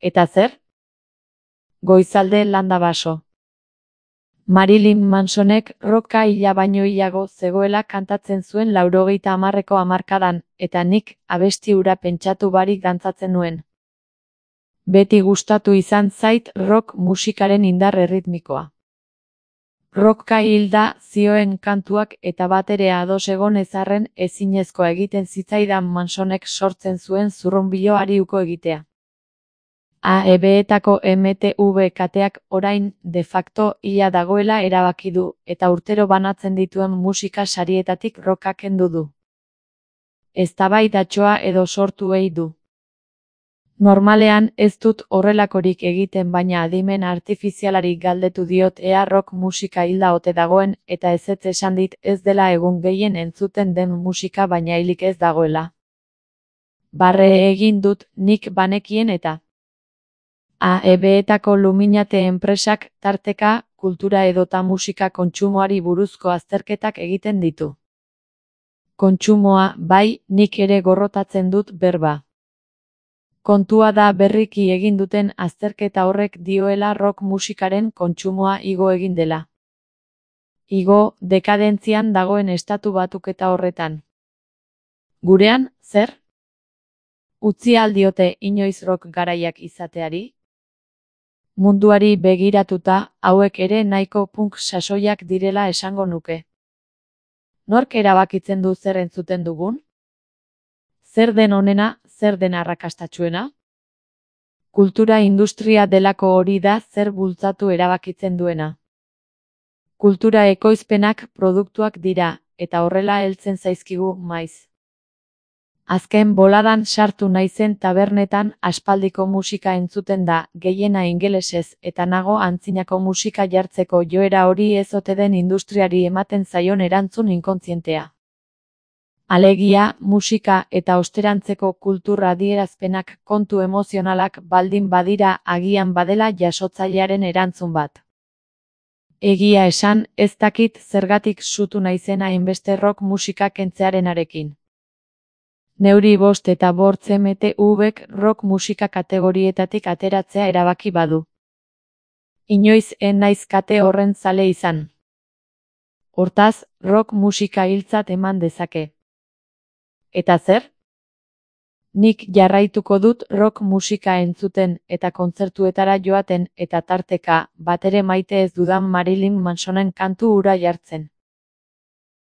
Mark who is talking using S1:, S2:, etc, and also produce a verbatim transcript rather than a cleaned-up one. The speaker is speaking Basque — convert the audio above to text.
S1: Eta zer? Goizalde landa baso. Marilyn Mansonek rocka hila baino hilago zegoela kantatzen zuen laurogeita hamarreko hamarkadan, eta nik abesti hura pentsatu barik dantzatzen nuen. Beti gustatu izan zait rock musikaren indar erritmikoa. Rocka hilda zioen kantuak eta batere ados egon ezarren ezinezkoa egiten zitzaidan Mansonek sortzen zuen zurrunbiloari uko egitea. A E B-etako M T V kateak orain de facto hila dagoela erabaki du, eta urtero banatzen dituen musika sarietatik rocka kendu du. Eztabaidatxoa edo sortu ei du. Normalean ez dut horrelakorik egiten, baina adimen artifizialari galdetu diot ea rock musika hilda ote dagoen, eta ezetz esan dit ez dela egun gehien entzuten den musika baina hilik ez dagoela. Barre egin dut nik banekien eta A E B-etako Luminate enpresak tarteka, kultura edota musika kontsumoari buruzko azterketak egiten ditu. Kontsumoa, bai, nik ere gorrotatzen dut berba. Kontua da berriki egin duten azterketa horrek dioela rock musikaren kontsumoa igo egin dela. Igo, dekadentzian dagoen estatu batuketa horretan. Gurean, zer? Utzi aldiote inoiz rock garaiak izateari? Munduari begiratuta, hauek ere nahiko punk sasoiak direla esango nuke. Nork erabakitzen du zer entzuten dugun? Zer den onena, zer den arrakastatsuena? Kultura industria delako hori da zer bultzatu erabakitzen duena. Kultura ekoizpenak produktuak dira, eta horrela heltzen zaizkigu maiz. Azken boladan sartu naizen tabernetan aspaldiko musika entzuten da, gehiena ingelesez, eta nago antzinako musika jartzeko joera hori ez ote den industriari ematen zaion erantzun inkontzientea. Alegia, musika eta osterantzeko kultura adierazpenak kontu emozionalak baldin badira agian badela jasotzailearen erantzun bat. Egia esan, ez dakit zergatik sutu naizena hainbeste rock musika kentzearenarekin. Neuri bost eta bortz M T V-ek rock musika kategorietatik ateratzea erabaki badu. Inoiz en naiz kate horren zale izan. Hortaz, rock musika hiltzat eman dezake. Eta zer? Nik jarraituko dut rock musika entzuten eta kontzertuetara joaten eta tarteka, batere maite ez dudan Marilyn Mansonen kantu hura jartzen.